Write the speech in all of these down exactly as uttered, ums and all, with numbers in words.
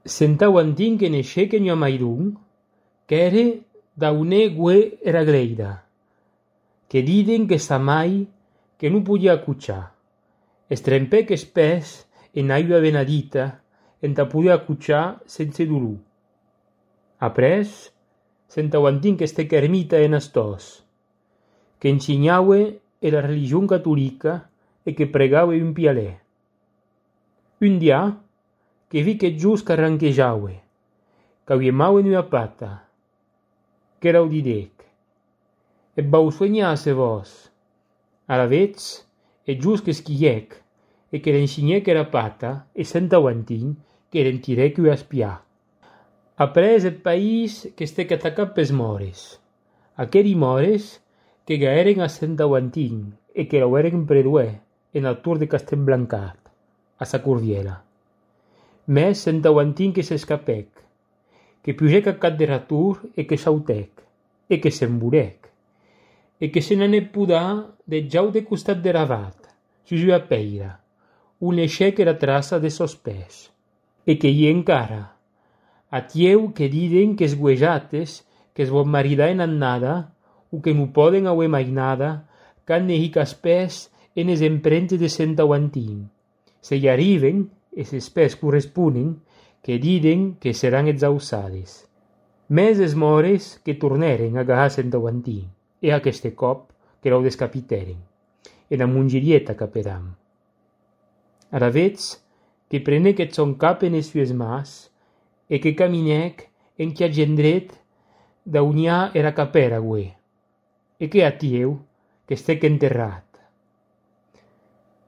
Sentauantin que neishèc en ua maidon, qu'ère d'aunè guè era gleida, que diden que sa mai que non podia acotxar. Estrempèc es pès en aigua benedita entà poder acotxar sense dolor. Après, sentauantin qu'estèc ermita en astòs, qu'ensinhaue era religion catolica e que pregaue un pialè. Un dià, que vic eth jos qu'arranquejaue, qu'auiemaue ua pata, qu'erau didec: «Eth vau soenhar se vòs?» Alavetz, eth jos qu'esquilhèc e que l'ensinhèc era pata e sentauantin que l'entirèc ua espiar. Après eth país qu'estèc atacat pes mòres, aqueri mòres que gaèren a Sentauantin e que l'aueren preduèr ena tor de Castelblancat, a sa cordiela. Mès Sentauantin que s'escapèc, que pugèc a cat dera tor e que sautèc, e que s'emborèc, e que se n'anèc podar deth jau de costat dera vat, sus ua peira, on leishèc era traça de sòs pès, e que i encara, atieu que diden qu'es guejates qu'es vòt maridar en annada o que non pòden auer mai nada qu'an nehic as pès enes emprentes de Sentauantin. Se i arriben, e ses pès corresponen, que diden que seran exausades. Mès es mòres que tornèren a agarrar Sentauantin, e aqueste còp que l'au descapitèren, ena mongerieta capedam. Aravetz que prenec eth sòn cap enes sues mas e que caminèc enquia gendret d'auniar era capèra uè, e que atieu qu'estèc enterrat.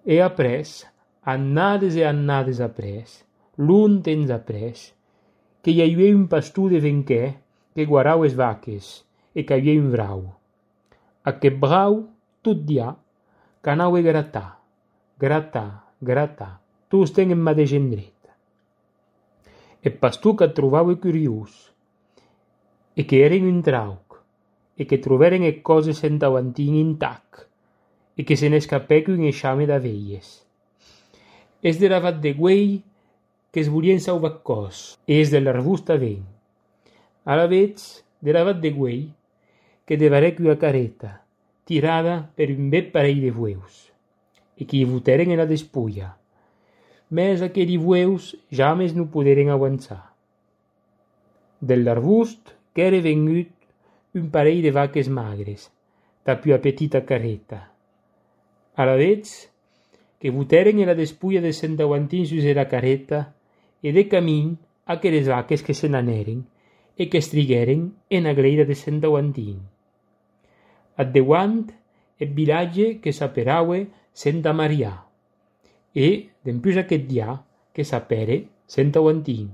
E après, annades e annades après, long temps après, que i auie un pastor de venquè que guarau es vaques e qu'auie un brau. Aqueth brau, tot dià, qu'anaue gratar, gratar, gratar, tostemp en madeish endret. Eth pastor qu'ac trobaue curiós, e que eren un trauc, e que trobèren eth còs de Sentauantin intac, e que se n'escapèc un eixame d'abelhes. Es dera vat de guei qu'es volien sauvar còs, e es de l'arbust tanben. Alavetz dera vat de guei que devarèc ua careta, tirada per un bèth parelh de vueus, e que i votèren ena despulla. Mès aqueri vueus james non poderen avançar. Del l'arbust qu'ère vengut un parelh de vaques magres, tap ua petita careta. Alavetz que votèren era despulla de Sentauantin sus era careta e de camin aqueres vaques que se n'anèren e qu'estriguèren ena gleida de Sentauantin. Ath deuant eth vilatge que s'aperaue Senta Marià, e dempús aqueth dià que s'apère Sentauantin.